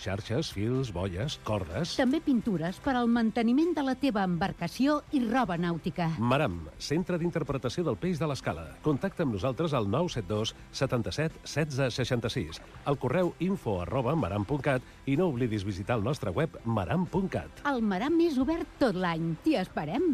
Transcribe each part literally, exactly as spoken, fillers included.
xarxes, fils, boies, cordes... També pintures per al manteniment de la teva embarcació i roba nàutica. Maram, centre d'interpretació del peix de l'Escala. Contacta amb nosaltres al nou set dos setanta-set setze seixanta-sis, al correu info arroba maram punt cat i no oblidis visitar el nostre web maram punt cat. El Maram és obert tot l'any. T'hi esperem.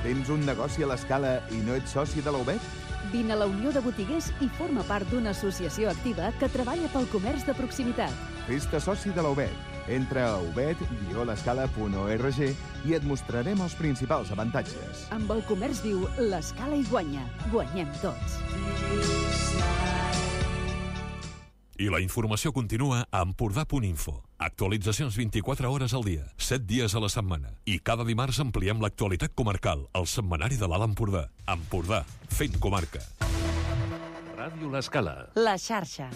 Tens un negoci a l'Escala i no ets soci de la U B E T? Vine a la Unió de Botiguers i forma part d'una associació activa que treballa pel comerç de proximitat. Fes-te soci de la U B E T. Entra a ubet guió l'escala punt org i et mostrarem els principals avantatges. Amb el comerç viu, l'Escala hi guanya. Guanyem tots. I la informació continua a Empordà punt info. Actualitzacions vint-i-quatre hores al dia, set dies a la setmana. I cada dimarts ampliem l'actualitat comarcal, al setmanari de l'Alt Empordà. Empordà, fent comarca. Ràdio l'Escala. La xarxa.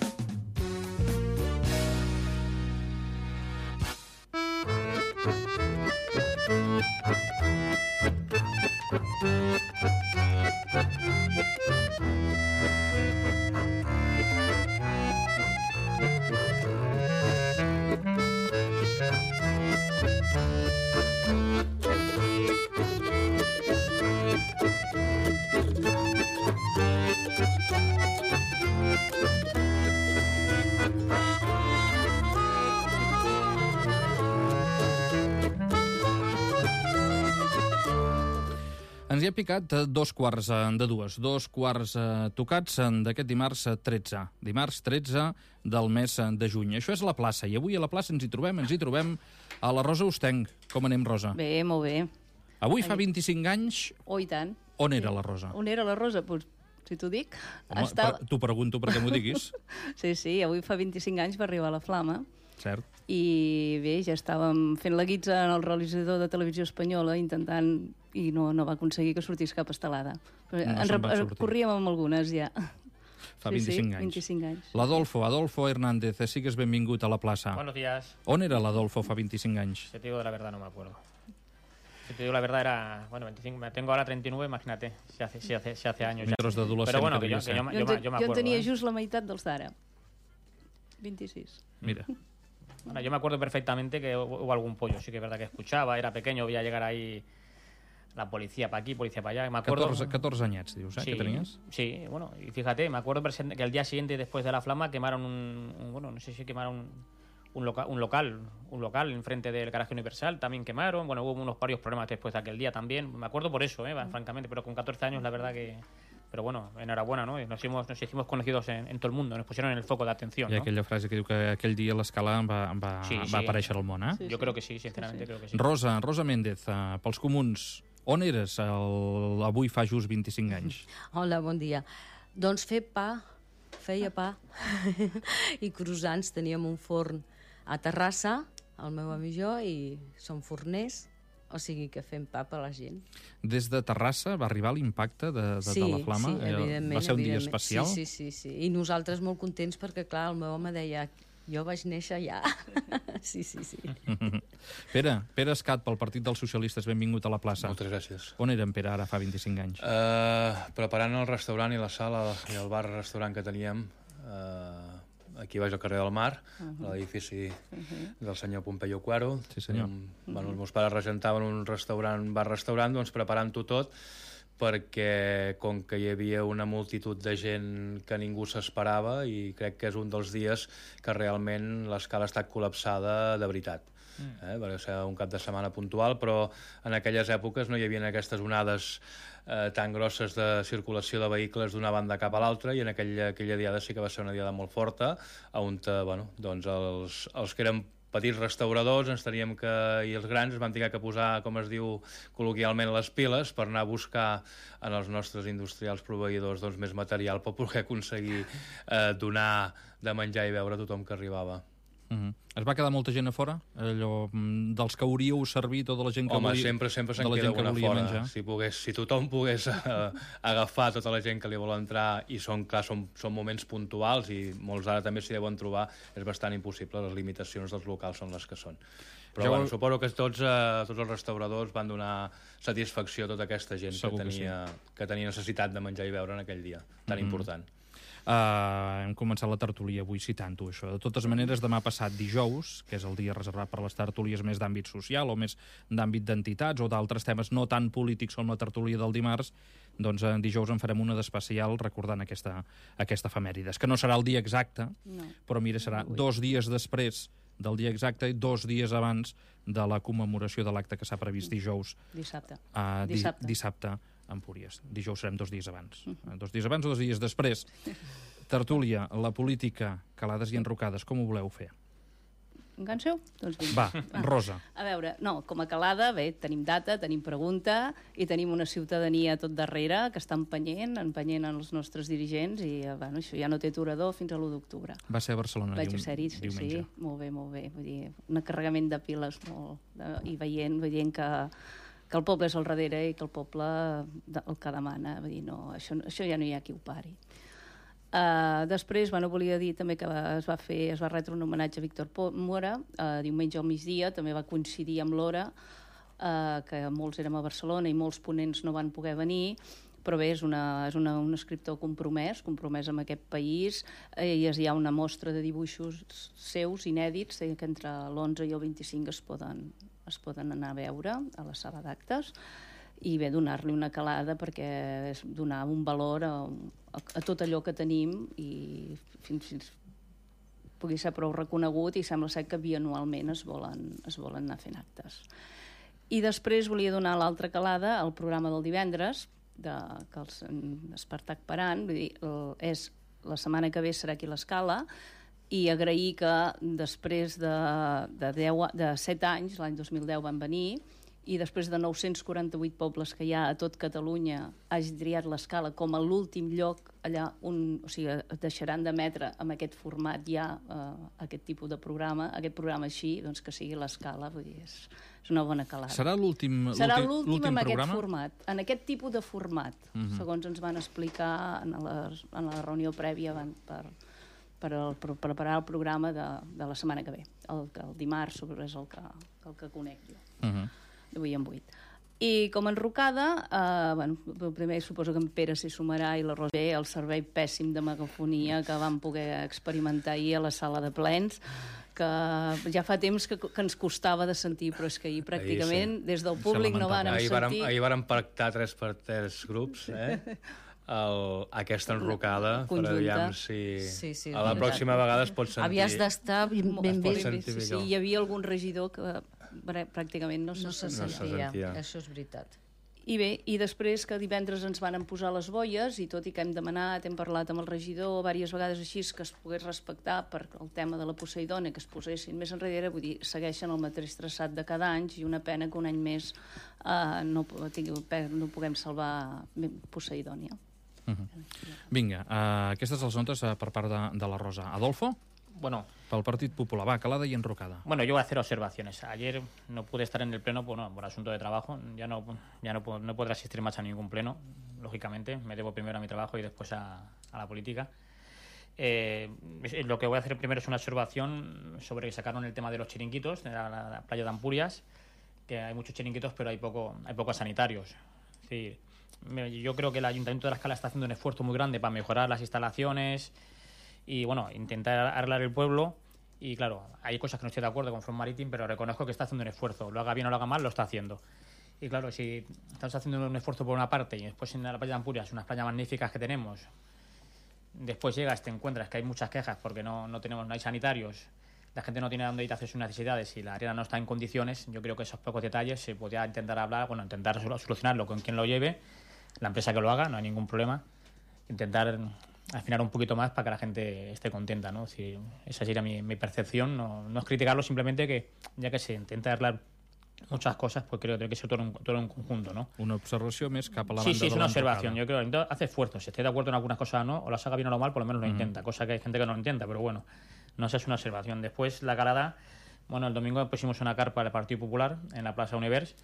Ens hi ha picat dos quarts de dues, dos quarts tocats d'aquest dimarts tretze. Dimarts tretze del mes de juny. Això és la plaça, i avui a la plaça ens hi trobem, ens hi trobem a la Rosa Ostenc. Com anem, Rosa? Bé, molt bé. Avui fa vint-i-cinc anys... Oh, i tant. On era la Rosa? On era la Rosa? Pues, si t'ho dic... Home, Estava... T'ho pregunto perquè m'ho diguis. Sí, sí, avui fa vint-i-cinc anys va arribar la Flama. Cert. I bé, ja estàvem fent la guitza en el realitzador de Televisió Espanyola intentant, i no, no va aconseguir que sortís cap estelada. No en se'n va sortir. Corríem amb algunes ja. Fa sí, vint-i-cinc sí, anys. vint-i-cinc anys. L'Adolfo, Adolfo Hernández, sigues benvingut a la plaça. Buenos días. On era l'Adolfo fa vint-i-cinc anys? Si te digo la verdad, no me acuerdo. Si te digo la verdad, era... Bueno, veinticinco, tengo ahora treinta y nueve, imagínate, si hace, si hace, si hace años. Mentre d'adolescent. Pero bueno, que yo, que yo, jo, yo, yo, yo me acuerdo. Jo en tenia ¿eh? just la meitat dels d'ara. vint-i-sis. Mira. Bueno, yo me acuerdo perfectamente que hubo algún pollo, sí que es verdad que escuchaba, era pequeño, veía llegar ahí la policía para aquí, policía para allá. Me acuerdo... catorze, catorze anyets, dius, eh, sí, que tenies? Sí, bueno, y fíjate, me acuerdo que al día siguiente, después de la Flama, quemaron un, un bueno, no sé si quemaron un, un, loca, un local, un local enfrente del Garaje Universal, también quemaron, bueno, hubo unos varios problemas después de aquel día también, me acuerdo por eso, eh, francamente, pero con catorce años la verdad que... Pero bueno, enhorabuena, ¿no? Nos hicimos, nos hicimos conocidos en, en todo el mundo, nos pusieron en el foco de atención, I ¿no? aquella frase que diu que aquell dia l'Escala va, va, Sí, sí. va aparèixer al món, eh? Sí, Yo creo que sí, sinceramente sí, sí. creo que sí. Rosa, Rosa Méndez, uh, pels comuns, on eres el, avui fa just vint-i-cinc anys? Hola, bon dia. Doncs fer pa, feia pa, i croissants. Teníem un forn a Terrassa, el meu amic i jo, i som forners, o sigui que fem pa per a la gent. Des de Terrassa va arribar l'impacte de, de, sí, de la Flama? Sí, evidentment. Va ser un dia evidentment. especial? Sí, sí, sí, sí. I nosaltres molt contents perquè, clar, el meu home deia jo vaig néixer allà. Sí, sí, sí. Pere, Pere Escat, pel Partit dels Socialistes, benvingut a la plaça. Moltes gràcies. On era en Pere ara fa vint-i-cinc anys? Uh, preparant el restaurant i la sala i el bar-restaurant que teníem uh, aquí baix al carrer del Mar, uh -huh. a l'edifici uh -huh. del senyor Pompeyo Cuaro. Sí, senyor. Um, bueno, els meus pares regentaven un restaurant, bar-restaurant, doncs preparant-ho tot, perquè com que hi havia una multitud de gent que ningú s'esperava, i crec que és un dels dies que realment l'escala ha estat col·lapsada de veritat. Mm. Eh? Va ser un cap de setmana puntual, però en aquelles èpoques no hi havia aquestes onades eh, tan grosses de circulació de vehicles d'una banda cap a l'altra, i en aquella, aquella diada sí que va ser una diada molt forta, on bueno, doncs els, els que eren petits restauradors ens teníem que, i els grans es van tenir que posar, com es diu col·loquialment, les piles per anar a buscar en els nostres industrials proveïdors doncs, més material per poder aconseguir eh, donar de menjar i beure a tothom que arribava. Uh-huh. Es va quedar molta gent a fora? Allò, dels que hauríeu servit, tota la gent que Home, volia, sempre, sempre se'n de la queda gent que una volia fora. menjar. Si, pogués, si tothom pogués uh, agafar tota la gent que li vol entrar, i són, clar, són, són moments puntuals, i molts ara també s'hi deuen trobar, és bastant impossible. Les limitacions dels locals són les que són. Però ja bueno, vol... suposo que tots, uh, tots els restauradors van donar satisfacció a tota aquesta gent que tenia, que, sí. que tenia necessitat de menjar i beure en aquell dia tan mm-hmm. important. Uh, hem començat la tertúlia avui citant-ho, això. De totes maneres, demà passat dijous, que és el dia reservat per les tertúlies més d'àmbit social o més d'àmbit d'entitats o d'altres temes no tan polítics com la tertúlia del dimarts, doncs en dijous en farem una d'especial recordant aquesta, aquesta efemèrides, que no serà el dia exacte, no. però mira, serà no dos dies després del dia exacte i dos dies abans de la commemoració de l'acte que s'ha previst dijous. Dissabte. Uh, di dissabte. Dissabte a Empúries. Dijous serem dos dies abans. Uh, dos dies abans o dos dies després. Tertúlia, la política, calades i enrocades, com ho voleu fer? Enganxeu? Doncs vinga. Va, ah. Rosa. A veure, no, com a calada, bé, tenim data, tenim pregunta i tenim una ciutadania tot darrere que està empenyent, empenyent els nostres dirigents i, bueno, això ja no té aturador fins a l'u d'octubre. Va ser a Barcelona Vaig ser-hi, sí, diumenge. Sí, molt bé, molt bé. Vull dir, un carregament de piles molt... De, i veient, veient que, que el poble és al darrere i que el poble el que demana. Vull dir, no, això, això ja no hi ha qui ho pari. Uh, després, bueno, volia dir també que es va fer, es va retre un homenatge a Víctor Mora, uh, diumenge al migdia, també va coincidir amb l'hora, uh, que molts érem a Barcelona i molts ponents no van poder venir, però bé, és, una, és una, un escriptor compromès, compromès amb aquest país, eh, i hi ha una mostra de dibuixos seus inèdits eh, que entre l'onze i el vint-i-cinc es poden, es poden anar a veure a la sala d'actes, i bé, donar-li una calada perquè és donar un valor a, a, a tot allò que tenim i fins, fins pugui ser prou reconegut, i sembla ser que bianualment es volen, es volen anar fent actes. I després volia donar l'altra calada al programa del divendres, de, que els Espartac Paran, vull dir, el, és, la setmana que ve serà aquí a l'Escala, i agrair que després de, de, deu, de set anys, l'any dos mil deu van venir, i després de nou-cents quaranta-vuit pobles que hi ha a tot Catalunya hagi triat l'Escala com a l'últim lloc allà on, o sigui, deixaran d'emetre amb aquest format ja eh, aquest tipus de programa, aquest programa així, doncs que sigui l'Escala, vull dir, és, és una bona calada. Serà l'últim Serà l'últim en programa? aquest format, en aquest tipus de format, uh-huh. segons ens van explicar en la, en la reunió prèvia van, per, per, el, per preparar el programa de, de la setmana que ve. El, el dimarts és el que, el que conec jo. Uh-huh. Avui en vuit. I com a enrocada, eh, bueno, primer suposo que en Pere s'hi sumarà i la Rosa, el servei pèssim de megafonia que vam poder experimentar ahir a la sala de plens, que ja fa temps que, que ens costava de sentir, però és que ahir pràcticament ahir, sí. des del públic no vàrem ahir sentir... Ahir vàrem pactar tres per tres grups, eh? El, aquesta enrocada, per aviam si sí, sí, a la pròxima vegada es pot sentir... Havies d'estar ben, ben bé. Sí, sí, hi havia algun regidor que pràcticament no se, no se, sentia. no se sentia. Això és veritat. I bé, i després que divendres ens van posar les boies, i tot i que hem demanat, hem parlat amb el regidor diverses vegades així, que es pogués respectar per el tema de la Poseidònia, que es posessin més enrere, vull dir, segueixen el mateix traçat de cada any, i una pena que un any més uh, no, no puguem salvar Poseidònia. Uh-huh. Vinga, uh, aquestes les notes uh, per part de, de la Rosa. Adolfo? Bueno, pel Partit Popular, va, calada y enrocada. Bueno, yo voy a hacer observaciones. Ayer no pude estar en el pleno por, no, por asunto de trabajo. Ya no ya no, puedo, no podré asistir más a ningún pleno, lógicamente. Me debo primero a mi trabajo y después a, a la política. Eh, lo que voy a hacer primero es una observación sobre que sacaron el tema de los chiringuitos, de la, la, la playa de Ampurias, que hay muchos chiringuitos, pero hay poco hay pocos sanitarios. Es decir, yo creo que el Ayuntamiento de La Escala está haciendo un esfuerzo muy grande para mejorar las instalaciones y, bueno, intentar arreglar el pueblo. Y, claro, hay cosas que no estoy de acuerdo con Front Marítim, pero reconozco que está haciendo un esfuerzo. Lo haga bien o lo haga mal, lo está haciendo. Y, claro, si estamos haciendo un esfuerzo por una parte y después en la playa de Ampurias, unas playas magníficas que tenemos, después llegas, te encuentras que hay muchas quejas porque no, no tenemos, no hay sanitarios, la gente no tiene dónde ir a hacer sus necesidades y la arena no está en condiciones. Yo creo que esos pocos detalles se podría intentar hablar, bueno, intentar solucionarlo con quien lo lleve, la empresa que lo haga, no hay ningún problema. Intentar afinar un poquito más para que la gente esté contenta, ¿no? Si esa sería mi, mi percepción, no, no es criticarlo, simplemente que ya que se intenta arreglar muchas cosas, pues creo que tiene que ser todo un, todo un conjunto, ¿no? Una observació més cap a la sí, banda sí, de es una observación. Yo creo que hace esfuerzos. Si estoy de acuerdo en algunas cosas o no, o las haga bien o lo mal, por lo menos lo mm. intenta. Cosa que hay gente que no lo intenta, pero bueno, no sé, es una observación. Después, la calada, bueno, el domingo pusimos una carpa del Partido Popular en la Plaza Univers.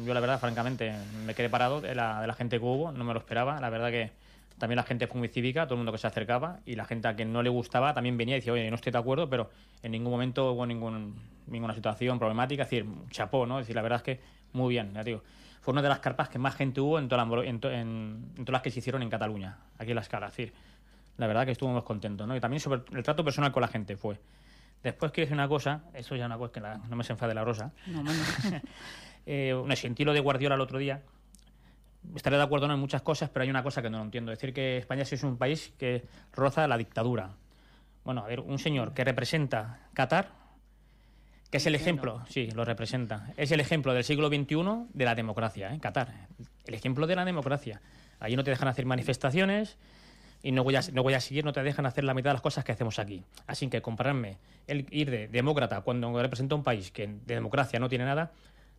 Yo, la verdad, francamente, me quedé parado de la, de la gente que hubo, no me lo esperaba. La verdad que también la gente fue muy cívica, todo el mundo que se acercaba, y la gente a quien no le gustaba también venía y decía, oye, no estoy de acuerdo, pero en ningún momento hubo ningún, ninguna situación problemática. Es decir, chapó, ¿no? Es decir, la verdad es que muy bien, ya digo. Fue una de las carpas que más gente hubo en, toda la, en, to, en, en todas las que se hicieron en Cataluña, aquí en La Escala. Es decir, la verdad que estuvimos contentos, ¿no? Y también sobre el trato personal con la gente fue. Después quiero decir una cosa, eso ya es una cosa que la, no me se enfade la Rosa. No, no. eh, un sentí lo de Guardiola el otro día. Estaré de acuerdo en muchas cosas, pero hay una cosa que no lo entiendo. Decir que España sí es un país que roza la dictadura. Bueno, a ver, un señor que representa Qatar, que es el ejemplo, sí, lo representa, es el ejemplo del siglo veintiuno de la democracia, ¿eh? Qatar, el ejemplo de la democracia. Allí no te dejan hacer manifestaciones y no voy a, no voy a seguir, no te dejan hacer la mitad de las cosas que hacemos aquí. Así que compararme, el ir de demócrata cuando representa un país que de democracia no tiene nada,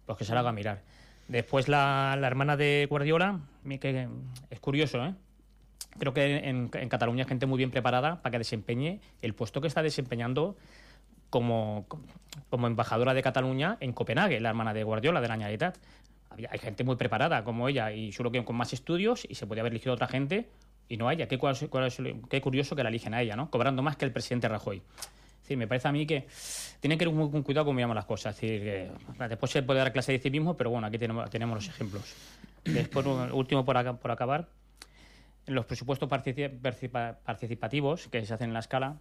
pues que se lo haga mirar. Después la, la hermana de Guardiola, que es curioso, ¿eh? Creo que en, en Cataluña hay gente muy bien preparada para que desempeñe el puesto que está desempeñando como, como embajadora de Cataluña en Copenhague, la hermana de Guardiola, de la Generalitat. Hay gente muy preparada como ella y solo que con más estudios, y se podía haber elegido a otra gente y no a ella. Qué, cuál, cuál, qué curioso que la eligen a ella, ¿no? Cobrando más que el presidente Rajoy. Es decir, me parece a mí que tienen que ir muy con cuidado cómo miramos las cosas. Es decir, que después se puede dar clase de civismo, pero bueno, aquí tenemos, tenemos los ejemplos. Después, último por, acá, por acabar, en los presupuestos participa, participativos que se hacen en la escala,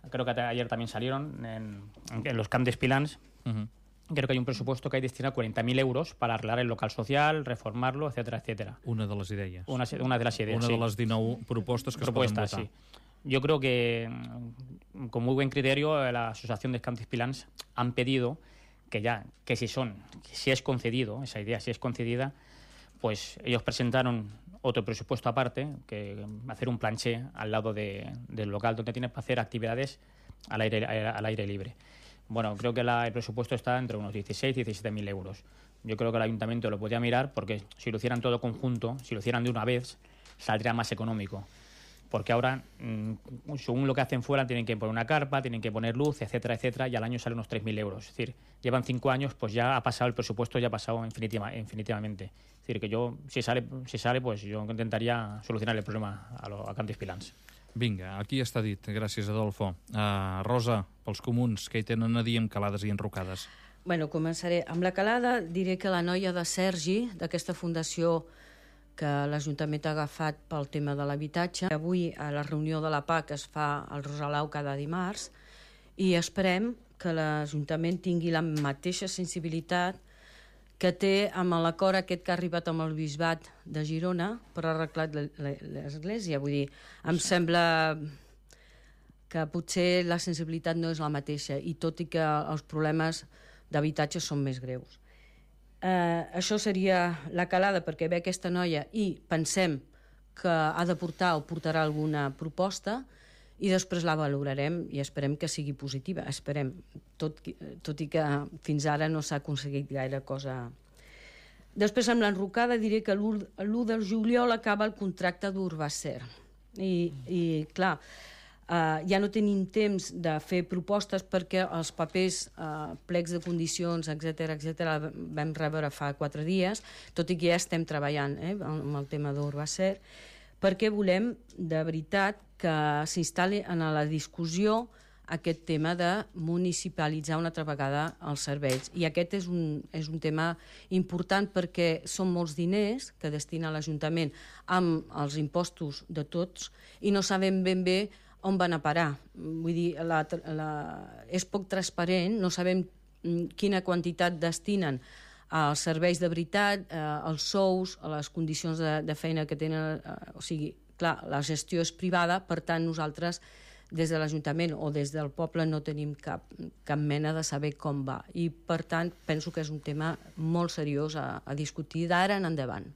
creo que ayer también salieron en, en los camps d'Espilans. Uh-huh. Creo que hay un presupuesto que hay destinado cuarenta mil euros para arreglar el local social, reformarlo, etcétera, etcétera. Una de les idees. Una, una de las idees, Una sí. de les dinou propostes que Propuestas, es poden votar. Sí. Yo creo que, con muy buen criterio, la Asociación de Camps d'Espilans han pedido que ya, que si son, que si es concedido, esa idea, si es concedida, pues ellos presentaron otro presupuesto aparte, que hacer un planché al lado de, del local donde tienes para hacer actividades al aire, al aire libre. Bueno, creo que la, el presupuesto está entre unos dieciséis y diecisiete mil euros. Yo creo que el ayuntamiento lo podría mirar porque si lo hicieran todo conjunto, si lo hicieran de una vez, saldría más económico. Porque ahora, mmm, según lo que hacen fuera, tienen que poner una carpa, tienen que poner luz, etcétera, etcétera, y al año salen unos tres mil euros. Es decir, llevan cinco años, pues ya ha pasado el presupuesto, ya ha pasado infinitiva, infinitivamente. Es decir, que yo, si sale, si sale pues yo intentaria solucionar el problema a, lo, a Camps d'Espilans. Vinga, aquí està dit. Gràcies, Adolfo. Uh, Rosa, pels comuns, què hi tenen a dir amb calades i enrocades? Bueno, començaré. Amb la calada diré que la noia de Sergi, d'aquesta fundació que l'Ajuntament ha agafat pel tema de l'habitatge, avui a la reunió de la P A C es fa al Rosalau cada dimarts i esperem que l'Ajuntament tingui la mateixa sensibilitat que té amb l'acord aquest que ha arribat amb el Bisbat de Girona per arreglar l'església. Vull dir, em sembla que potser la sensibilitat no és la mateixa i tot i que els problemes d'habitatge són més greus. Eh, això seria la calada perquè ve aquesta noia i pensem que ha de portar o portarà alguna proposta i després la valorarem i esperem que sigui positiva. Esperem, tot, tot i que fins ara no s'ha aconseguit gaire cosa. Després, amb l'enrocada, diré que l'u de juliol acaba el contracte d'Urbacer. I, i clar, Uh, ja no tenim temps de fer propostes perquè els papers, uh, plecs de condicions, etcètera, etcètera, vam rebre fa quatre dies, tot i que ja estem treballant eh, amb el tema d'Urbacer, perquè volem, de veritat, que s'instal·li en la discussió aquest tema de municipalitzar una altra vegada els serveis. I aquest és un, és un tema important perquè són molts diners que destina l'Ajuntament amb els impostos de tots i no sabem ben bé on van a parar. Vull dir, la, la, és poc transparent, no sabem quina quantitat destinen als serveis de veritat, eh, als sous, a les condicions de, de feina que tenen. Eh, o sigui, clar, la gestió és privada, per tant, nosaltres, des de l'Ajuntament o des del poble, no tenim cap, cap mena de saber com va. I, per tant, penso que és un tema molt seriós a, a discutir d'ara en endavant.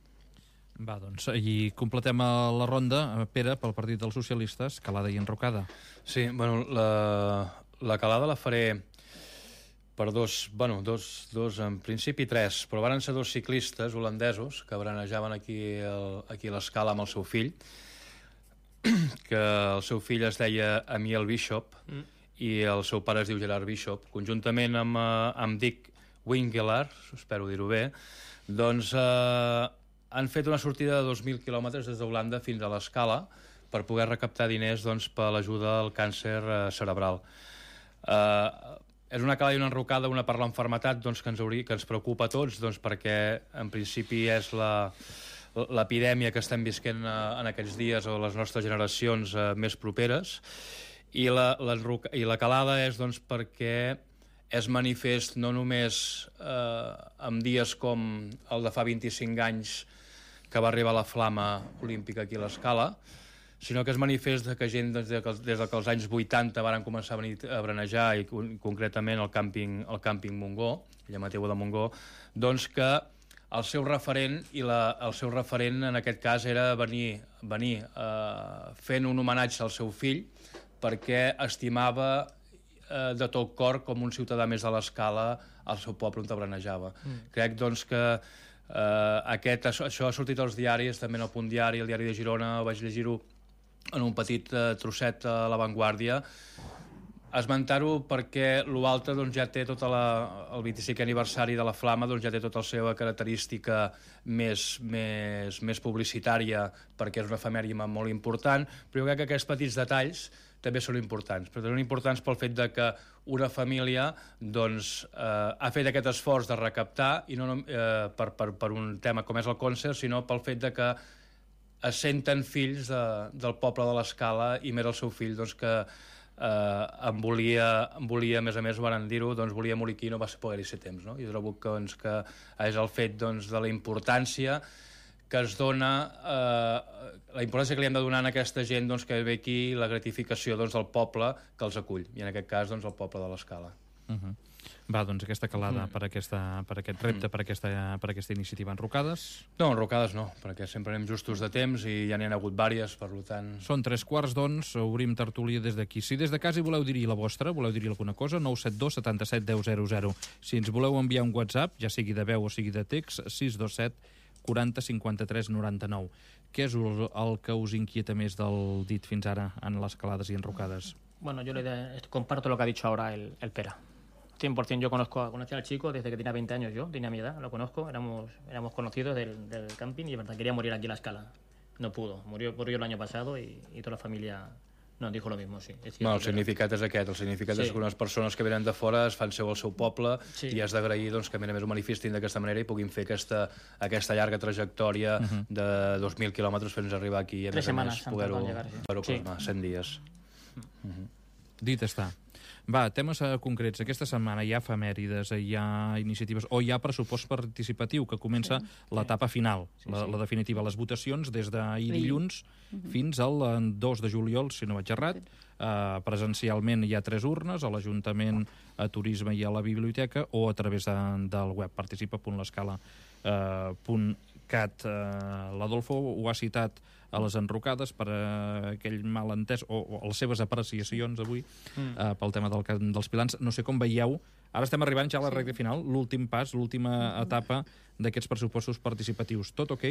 Va, doncs, i completem la ronda, Pere, pel Partit dels Socialistes, calada i enrocada. Sí, bueno, la, la calada la faré per dos, bueno, dos, dos, en principi tres, però van ser dos ciclistes holandesos que branejaven aquí, el, aquí a l'escala amb el seu fill, que el seu fill es deia Amiel Bishop mm. i el seu pare es diu Gerard Bishop. Conjuntament amb, amb Dick Wingelar, espero dir-ho bé, doncs eh, han fet una sortida de dos mil quilòmetres des d'Holanda fins a l'Escala per poder recaptar diners doncs, per l'ajuda al càncer eh, cerebral. Eh, és una calada i una enrocada, una per l'enfermetat doncs, que, ens hauria, que ens preocupa a tots, doncs, perquè en principi és la, l'epidèmia que estem visquent en aquests dies o les nostres generacions més properes, i la, la, i la calada és doncs, perquè és manifest no només eh, en dies com el de fa vint-i-cinc anys que va arribar la flama olímpica aquí a l'Escala, sinó que és manifest que gent des de que, des de que els anys vuitanta van començar a venir a branejar, i concretament el càmping, el càmping Montgó, illa Mateu de Montgó, doncs que el seu referent, i la, el seu referent en aquest cas era venir, venir eh, fent un homenatge al seu fill, perquè estimava eh, de tot cor com un ciutadà més de l'Escala al seu poble on branejava. Mm. Crec doncs que eh, aquest, això, això ha sortit als diaris, també en el Punt Diari, el Diari de Girona, vaig llegir-ho en un petit eh, trosset a La Vanguardia, esmentar-ho perquè l'Ualta doncs, ja té tota la, el vint-i-cinquè aniversari de la Flama, doncs, ja té tota la seva característica més, més, més publicitària, perquè és una efemèride molt important, però jo crec que aquests petits detalls també són importants, però són importants pel fet de que una família doncs, eh, ha fet aquest esforç de recaptar, i no eh, per, per, per un tema com és el concert, sinó pel fet de que es senten fills de, del poble de l'Escala, i més el seu fill doncs, que eh, em, volia, em volia, a més a més, van dir-ho, doncs volia morir aquí i no va poder-hi ser temps. No? I trobo que, doncs, que és el fet doncs, de la importància que es dona, eh, la importància que li hem de donar a aquesta gent doncs, que ve aquí, la gratificació doncs, del poble que els acull, i en aquest cas doncs, el poble de l'Escala. Uh -huh. Va, doncs aquesta calada mm. per, aquesta, per aquest repte, mm. per, aquesta, per aquesta iniciativa. Enrocades? No, enrocades no, perquè sempre anem justos de temps i ja n'hi ha hagut vàries, per tant... Són tres quarts, doncs, obrim tertúlia des d'aquí. Si des de casa hi voleu dir la vostra, voleu dir alguna cosa, nou set dos setanta-set deu zero zero. Si ens voleu enviar un WhatsApp, ja sigui de veu o sigui de text, sis dos set quaranta cinquanta-tres noranta-nou. Què és el, el que us inquieta més del dit fins ara en les calades i enrocades? Bueno, yo le comparto lo que ha dicho ahora el, el Pera. cien por ciento yo conozco, conocí al chico desde que tenía veinte años, yo tenía mi edad, lo conozco, éramos, éramos conocidos del, del camping, y de verdad quería morir aquí en la Escala. No pudo, murió, murió el año pasado, y, y toda la familia nos dijo lo mismo, sí. És bueno, el significat és aquest, el significat sí. és que unes persones que venen de fora es fan seu al seu poble, sí. i has d'agrair doncs, que a més a més ho manifestin d'aquesta manera i puguin fer aquesta, aquesta llarga trajectòria uh -huh. de dos mil quilòmetres fins a arribar aquí, i a Tres més a més poder-ho sí. plasmar, cent dies. Uh -huh. Dit està. Va, temes uh, concrets. Aquesta setmana hi ha efemèrides, hi ha iniciatives, o hi ha pressupost participatiu, que comença sí, l'etapa final, sí, la, sí. la definitiva. Les votacions des d'ahir dilluns uh -huh. fins al dos de juliol, si no vaig errat. Uh, presencialment hi ha tres urnes, a l'Ajuntament, a Turisme i a la Biblioteca, o a través de, del web participa punt l'escala punt cat. Uh, L'Adolfo ho ha citat a les enrocades per uh, aquell malentès, o, o les seves apreciacions avui, mm. uh, pel tema del, dels pilans. No sé com veieu, ara estem arribant ja a la sí. recta final, l'últim pas, l'última etapa d'aquests pressupostos participatius. Tot ok?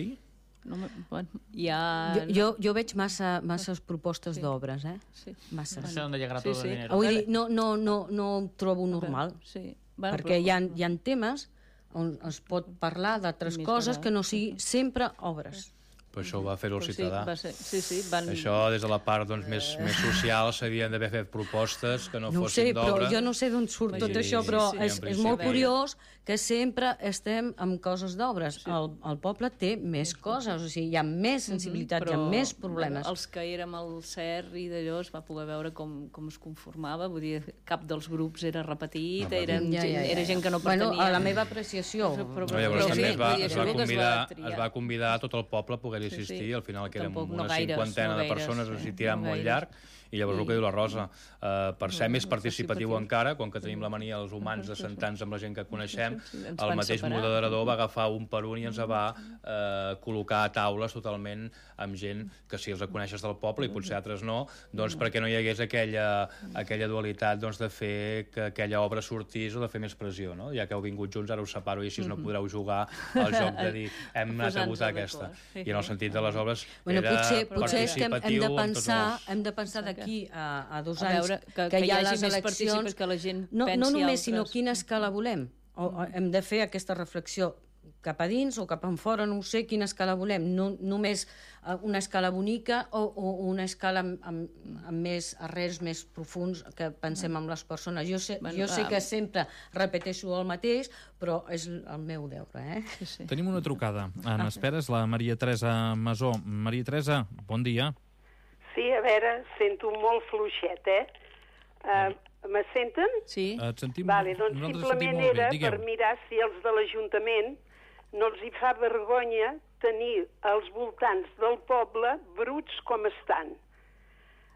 No, bueno, ja... jo, jo, jo veig massa, masses propostes sí. d'obres, eh? Sí. Masses. No sé on llegarà sí, tot sí. el dinero. Vull dir, no, no, no, no ho trobo normal, sí. bueno, perquè però... hi ha, hi ha temes on es pot parlar d'altres coses que no sigui sempre obres. Però això ho va fer el ciutadà. Sí, va ser, sí, sí, van... Això, des de la part doncs, més, més social, s'havien d'haver fet propostes que no, no fossin d'obra. No ho sé, però jo no sé d'on surt sí, tot això, però sí, sí, és, és molt curiós que sempre estem amb coses d'obres. Sí. El, el poble té més sí. coses, o sigui, hi ha més sensibilitat, mm -hmm, però, hi ha més problemes. Bueno, els que érem al C E R i d'allò es va poder veure com, com es conformava, vull dir, cap dels grups era repetit, no, eren, ja, ja, ja. era gent que no pertanyia. Bueno, a la meva apreciació. Però, però, però, llavors també es va, es, va convidar, es va convidar a tot el poble a poder assistir, sí, sí. al final que érem una no gaires, cinquantena no gaires, de persones, sí, així tirant no molt llarg, i llavors I... el que diu la Rosa, uh, per ser no, més participatiu no, encara, com que tenim la mania els humans de sentar-nos amb la gent que coneixem, el mateix separar. moderador va agafar un per un i ens va uh, col·locar a taules totalment amb gent que si els coneixes del poble i potser altres no, doncs perquè no hi hagués aquella, aquella dualitat doncs, de fer que aquella obra sortís o de fer més pressió, no? Ja que heu vingut junts, ara us separo i així no podreu jugar al joc de dir hem anat a votar aquesta. I en el sentit de les obres bueno, era potser, potser és que hem, hem de pensar, els... hem de pensar d'aquí a, a dos a anys veure, que, que, que hi ha hi les eleccions, que la gent no, no només, altres... sinó quina escala volem. O, o hem de fer aquesta reflexió cap a dins o cap en fora, no ho sé quina escala volem, no, només una escala bonica o, o una escala amb, amb, amb més arrels més profuns que pensem en les persones. Jo sé, Bueno, jo sé ah, que sempre repeteixo el mateix, però és el meu deure. Eh? Sí, sí. Tenim una trucada. En espera és la Maria Teresa Masó. Maria Teresa, bon dia. Sí, a veure, sento molt fluixet, eh? Uh, me senten? Sí. Et sentim... Vale, doncs nosaltres sentim simplement molt bé. era Digueu. per mirar si els de l'Ajuntament no els hi fa vergonya tenir els voltants del poble bruts com estan.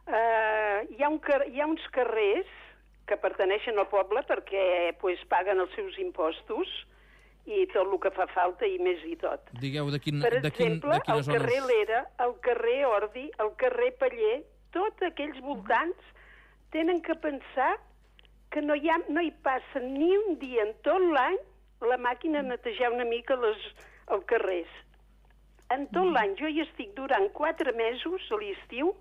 Uh, hi, ha un car hi ha uns carrers que pertaneixen al poble perquè pues, paguen els seus impostos i tot el que fa falta i més i tot. Digueu, de, quin, Per de, quin, exemple, de quines el carrer zones... Lera, el carrer Ordi, el carrer Paller, tots aquells voltants tenen que pensar que no hi, ha, no hi passa ni un dia en tot l'any la màquina a netejar una mica les, els carrers. En tot l'any jo hi estic durant quatre mesos a l'estiu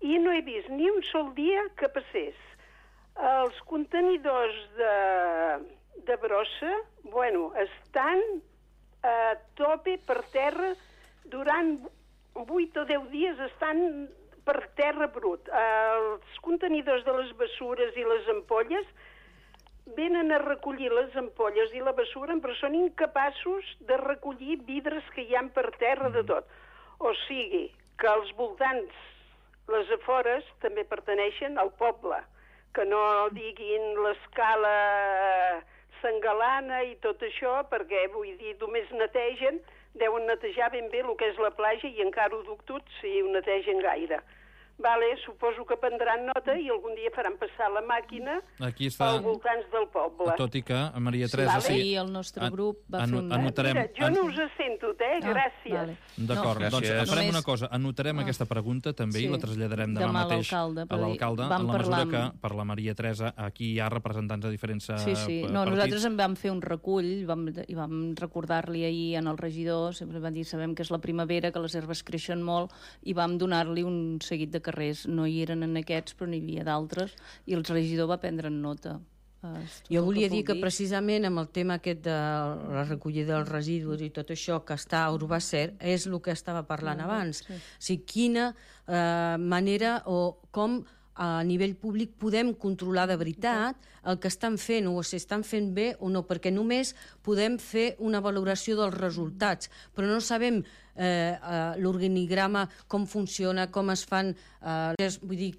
i no he vist ni un sol dia que passés. Els contenidors de, de brossa, bueno, estan a tope per terra durant vuit o deu dies, estan per terra brut. Els contenidors de les bessures i les ampolles venen a recollir les ampolles i la bessura, però són incapaços de recollir vidres que hi ha per terra de tot. O sigui, que els voltants, les afores, també pertaneixen al poble, que no diguin l'escala Sangalana i tot això, perquè, vull dir, només netegen, deuen netejar ben bé el que és la platja i encara ho duc tot si ho netegen gaire. Vale, suposo que prendran nota i algun dia faran passar la màquina Aquí està... als voltants del poble. Tot i que, Maria Teresa... Sí, vale. Sí, el nostre grup va fer un... Anotarem... Mira, jo no us sento, eh? Gràcies. Ah, vale. D'acord, No, doncs gràcies. farem Només- una cosa. Anotarem Ah. aquesta pregunta també Sí. i la traslladarem demà, Demà a mateix l'alcalde, a per dir- l'alcalde, vam en la mesura parlar que amb- per la Maria Teresa aquí hi ha representants de diferents eh, Sí, sí. No, partits. nosaltres en vam fer un recull vam, i vam recordar-li ahir en el regidor, sempre van dir, sabem que és la primavera, que les herbes creixen molt, i vam donar-li un seguit de carrers. No hi eren en aquests, però n'hi havia d'altres, i el regidor va prendre en nota. Eh, Jo volia que dir que pugui. precisament amb el tema aquest de la recollida dels residus i tot això que està a Urbacer és el que estava parlant Ah, abans. sí. O sigui, quina eh, manera o com a nivell públic podem controlar de veritat el que estan fent o si estan fent bé o no, perquè només podem fer una valoració dels resultats, però no sabem eh, eh, l'organigrama, com funciona, com es fan, eh, és, vull dir,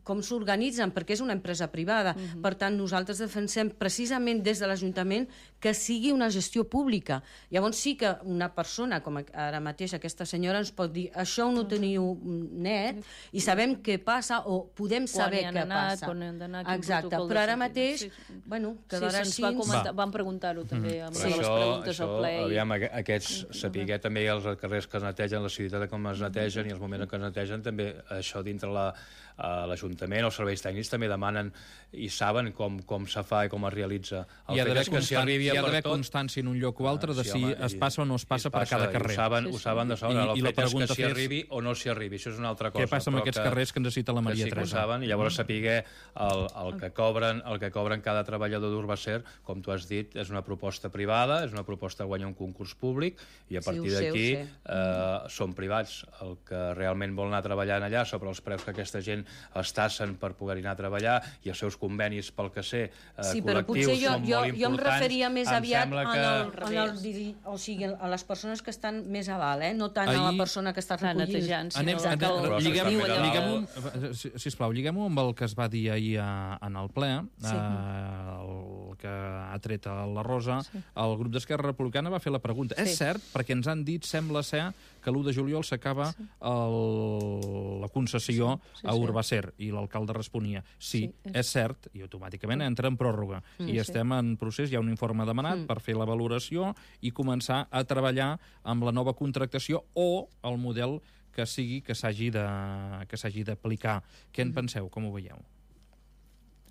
com s'organitzen, perquè és una empresa privada. Uh-huh. Per tant, nosaltres defensem precisament des de l'Ajuntament que sigui una gestió pública. Llavors sí que una persona, com ara mateix aquesta senyora, ens pot dir això no ho teniu net i sabem què passa o podem saber Quan hi han què anat, passa. quan hi han d'anar, quin Exacte, protocol de però ara sortida. mateix, Sí, sí. bueno, Sí, quedarà se'ns així. va comentar, vam preguntar-ho també amb Però les això, preguntes això, al ple. i- aviam, aqu- aquests, saber també els carrers que es netegen, la ciutat de com es netegen i els moments en què es netegen, també això dintre la, a l'Ajuntament, els serveis tècnics també demanen i saben com, com se fa i com es realitza. El Hi ha fet d'haver és que s'hi constan- arribi hi a ha per d'haver tot. constància en un lloc o altre de Sí, si home, es i- passa o no es passa i per cada carrer. I ho saben, ho saben de sobre. I, El i la fet és que pregunta s'hi és arribi o no s'hi arribi, això és una altra cosa. què passa amb però aquests que- carrers que necessita la Maria que sí que ho Teresa. saben, i llavors saber el, el, que cobren, el que cobren cada treballador d'Urbacer, com tu has dit, és una proposta privada, és una proposta que guanya un concurs públic, i a Sí, partir ho sé, d'aquí ho sé. eh, són privats. El que realment vol anar treballant allà sobre els preus que aquesta gent es tassen per poder anar a treballar i els seus convenis, pel que sé, eh, Sí, però col·lectius potser jo, són jo, molt jo em importants. referia més Em aviat sembla en que... el, en el, diri- o sigui, a les persones que estan més a dalt, eh? No tant a Ahir- la persona que està Clar, recollint. netejant, sí, Anem, no, anem, que el- Però lliguem, s'està fent lliguem, si, sisplau, lliguem-ho amb el que es va dir ahir a, en el ple, Sí. eh, el que ha tret a la Rosa. Sí. El grup d'Esquerra Republicana va fer la pregunta. Sí. És cert, perquè ens han dit, sembla ser, que l'u de juliol s'acaba Sí. el- la concessió Sí, sí, a sí. Urbacer, i l'alcalde responia, sí, Sí, és- és cert, i automàticament entra en pròrroga. Mm. I Sí. estem en procés, hi ha un informe demanat Mm. per fer la valoració i començar a treballar amb la nova contractació o el model que sigui que s'hagi de, que s'hagi d'aplicar. Què en penseu? Com ho veieu?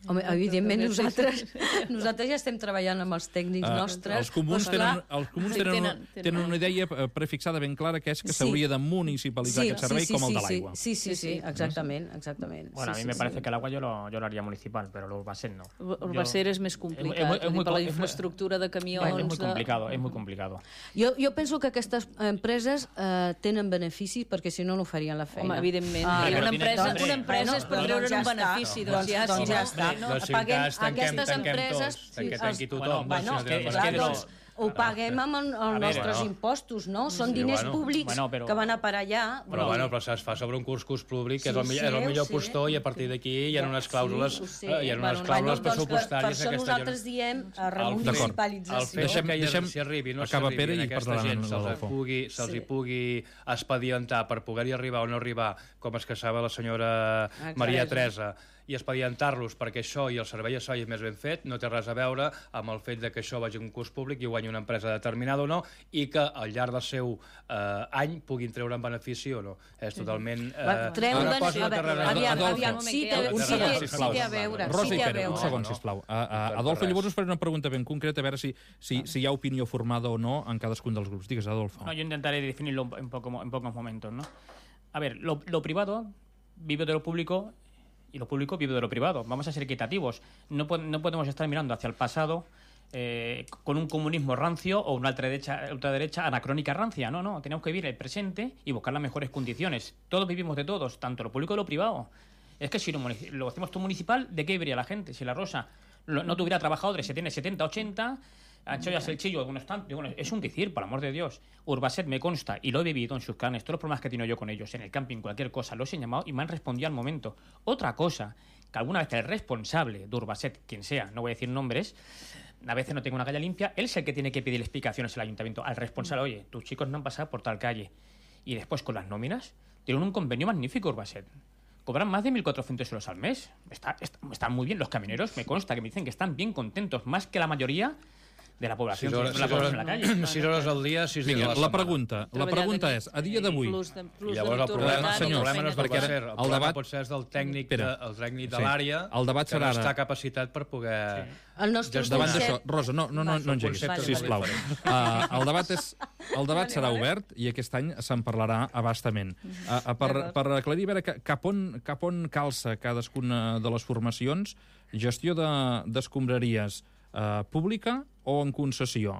Home, evidentment, nosaltres, nosaltres ja estem treballant amb els tècnics uh, nostres. Els comuns, tenen, els comuns tenen, tenen, tenen una idea prefixada ben clara, que és que s'hauria de municipalitzar sí, aquest servei sí, sí, com el de l'aigua. Sí, sí, sí, exactament, exactament. Bueno, a mí sí, me sí, parece sí. que el agua yo lo, yo lo haría municipal, pero el Urbaset no. Urbaset és més complicat, es, es, es muy, per la es muy, infraestructura de camions... Es muy de... complicado, es muy complicado. Jo, jo penso que aquestes empreses eh, tenen beneficis perquè si no no farien la feina. Home, evidentment. Ah, una, empresa, una empresa és per treure'n un benefici. Doncs ja, si no, no, paguem aquestes empreses... Que tanqui tothom. Bueno, clar, doncs ho paguem amb els nostres impostos, no? Són diners públics que van a parar allà. Però bueno, però es fa sobre un curs públic, que és el millor postor, i a partir d'aquí hi ha unes clàusules pressupostàries. Per això nosaltres diem remunicipalització. El fet que s'hi arribi, no s'arribi a aquesta gent, se'ls hi pugui expedientar per poder-hi arribar o no arribar, com es queixava la senyora Maria Teresa, i expedientar-los perquè això i el servei això és més ben fet, no té res a veure amb el fet de que això vagi a un curs públic i guanyi una empresa determinada o no, i que al llarg del seu eh, any puguin treure en benefici o no. És totalment... Eh, una cosa que aviam, aviam, sí té a veure. Rosa i Pere, un segon, sisplau. Adolfo, llavors us faré una pregunta ben concreta, a veure si hi ha opinió formada o no en cadascun dels grups. Digues, Adolfo. No, yo intentaré definirlo en, poco, en pocos momentos, ¿no? A ver, lo, lo privado vive de lo público y lo público vive de lo privado. Vamos a ser equitativos. No, po no podemos estar mirando hacia el pasado eh, con un comunismo rancio o una ultraderecha, ultraderecha anacrónica rancia. No, no. Tenemos que vivir el presente y buscar las mejores condiciones. Todos vivimos de todos, tanto lo público como lo privado. Es que si lo, lo hacemos todo municipal, ¿de qué viviría la gente? Si la Rosa lo, no tuviera trabajadores, se tiene setenta, ochenta... Anchoyas el chillo, algunos tantos. Bueno, es un decir, por amor de Dios. Urbaset me consta, y lo he vivido en sus carnes, todos los problemas que he tenido yo con ellos, en el camping, cualquier cosa, los he llamado y me han respondido al momento. Otra cosa, que alguna vez el responsable de Urbaset, quien sea, no voy a decir nombres, a veces no tengo una calle limpia, él es el que tiene que pedir explicaciones al ayuntamiento, al responsable, oye, tus chicos no han pasado por tal calle. Y después con las nóminas, tienen un convenio magnífico Urbaset. Cobran más de mil cuatrocientos euros al mes. Está, está, están muy bien los camioneros, me consta que me dicen que están bien contentos, más que la mayoría de la població, sis hores, la població en la calle. sis hores al dia, sis dies a la setmana. La pregunta, la pregunta és, a dia d'avui... I llavors el problema, el problema no és del ser, el problema pot ser del tècnic de, el tècnic de l'àrea que no està capacitat per poder... El nostre davant d'això, Rosa, no, no, no, no engeguis, sisplau. Uh, el debat és, el debat serà obert i aquest any se'n parlarà abastament. Uh, uh, per, per aclarir, a veure cap on, cap on calça cadascuna de les formacions, gestió d'escombraries Uh, pública o en concessió?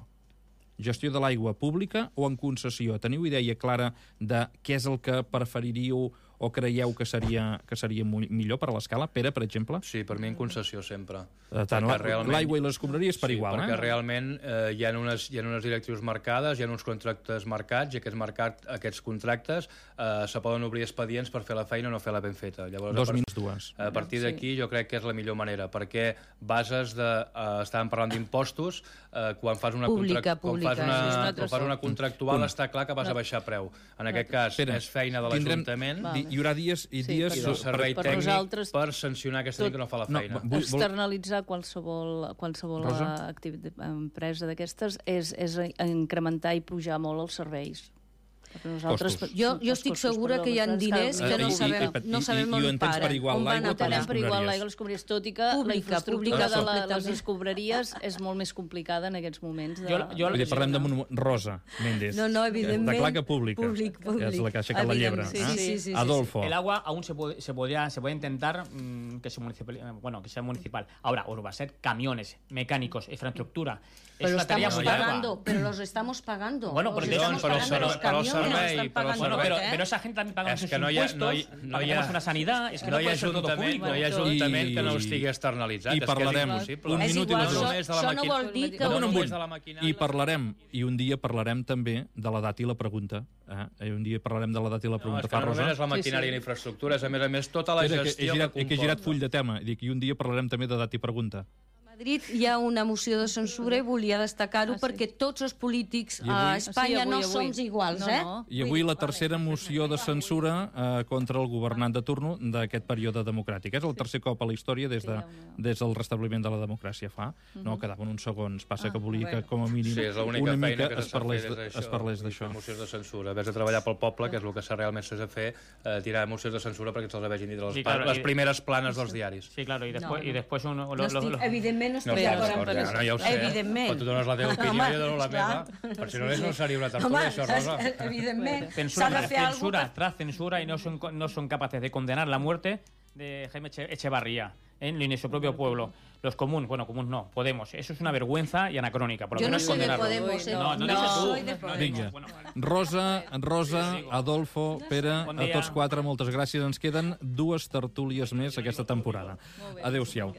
Gestió de l'aigua pública o en concessió? Teniu idea clara de què és el que preferiríeu o creieu que seria, que seria millor per a l'escala? Pere, per exemple? Sí, per mi en concessió sempre. Uh, tant l'aigua i les escombraries per sí, igual, perquè eh? realment eh, hi, ha unes, hi ha unes directrius marcades, hi ha uns contractes marcats, i aquests, marcat, aquests contractes eh, se poden obrir expedients per fer la feina o no fer-la ben feta. Llavors, Dos minuts, dues. A partir d'aquí jo crec que és la millor manera, perquè bases de... Eh, estàvem parlant d'impostos, eh, quan fas una, pública, contract, pública, quan fas una, sí, quan fas una contractual Punt. Està clar que vas a baixar preu. En aquest cas Pere, és feina de l'Ajuntament. Hi haurà dies i sí, dies... I del servei per tècnic nosaltres, per sancionar aquesta gent que no fa la feina. No, externalitzar qualsevol, qualsevol empresa d'aquestes és, és incrementar i pujar molt els serveis. Nosaltres, jo, jo estic segura que hi ha diners que no sabem, no sabem on paren. On van a parar per igual l'aigua les escombraries, tot i que la infraestructura de les escombraries és molt més complicada en aquests moments. Jo, jo, Vull dir, parlem de Rosa Méndez. No, no, evidentment. De claca pública. Públic, públic. Que és la que ha aixecat la llebre. Sí, sí, sí, sí, Adolfo. El agua aún se puede, se podría, se puede intentar mmm, que, se municipal, bueno, que sea municipal. Ahora, Urbaset, camiones, mecánicos, infraestructura. Pero estamos pagando, pero los estamos pagando. Bueno, porque estamos pagando los camiones, Bueno, pero, pero esa gente también paga sus no impuestos, no hi, no hi pagamos una sanidad, es que no, no, hi ha ajuntament, no hi ha ajuntament que no ho estigui externalitzat. I parlarem un minut i dos. Això no vol dir que... No, no, I parlarem, i un dia parlarem també de la data i la pregunta. Eh? Un dia parlarem de la data i la pregunta. No, és que no només és la maquinària i la infraestructura, és a més a més tota la gestió que comporta. He girat full de tema, i un dia parlarem també de data i pregunta. Madrid hi ha una moció de censura i volia destacar-ho Ah, sí. perquè tots els polítics I avui- a Espanya Sí, avui, no avui. som iguals, No, eh? no. I avui la tercera moció de censura eh, contra el governant de turno d'aquest període democràtic. És el tercer cop a la història des, de, des del restabliment de la democràcia fa. No, quedaven uns segons. Passa que volia que, com a mínim, Sí, és l'única una feina mica que es s'ha de parlés fer de- des es d'això, parlés i fer d'això. mocions de censura. Ves a treballar pel poble, que és el que s'ha realment s'ha de fer, eh, tirar mocions de censura perquè se'ls vegin dir les, Sí, claro, les y- primeres planes dels diaris. Sí, claro, y después, No, no. y después un, lo- No lo- estic, lo- evidentment no No, estic per d'acord sort, amb ja, no, ja ho sé. Evidentment. Quan tu dones la teva opinió, Home, jo dono la esclar. meva, per si no, no seria una tertúlia, Home, això, Rosa. es- evidentment, s'ha censura, de tras fer alguna censura, cosa. tras censura y no son, no son capaces de condenar la muerte de Jaime Eche- Echevarría en, en su propio pueblo. Los comuns, bueno, comuns no, Podemos. Eso es una vergüenza y anacrónica. Por lo Yo no menos soy de condenarlo. Podemos, ¿eh? No, no, No, dices tú. soy de Podemos. Vinga. Bueno, vale. Rosa, Rosa, Adolfo, Pere, Bon a dia. tots quatre, moltes gràcies. Ens queden dues tertúlies més aquesta temporada. Adéu-siau.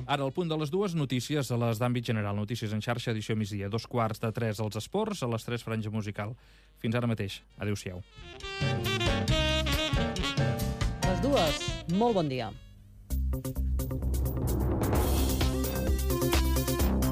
Ara, al punt de les dues, notícies a les d'àmbit general. Notícies en xarxa, edició migdia. Dos quarts de tres als esports, a les tres franja musical. Fins ara mateix. Adéu-siau. Les dues, molt bon dia.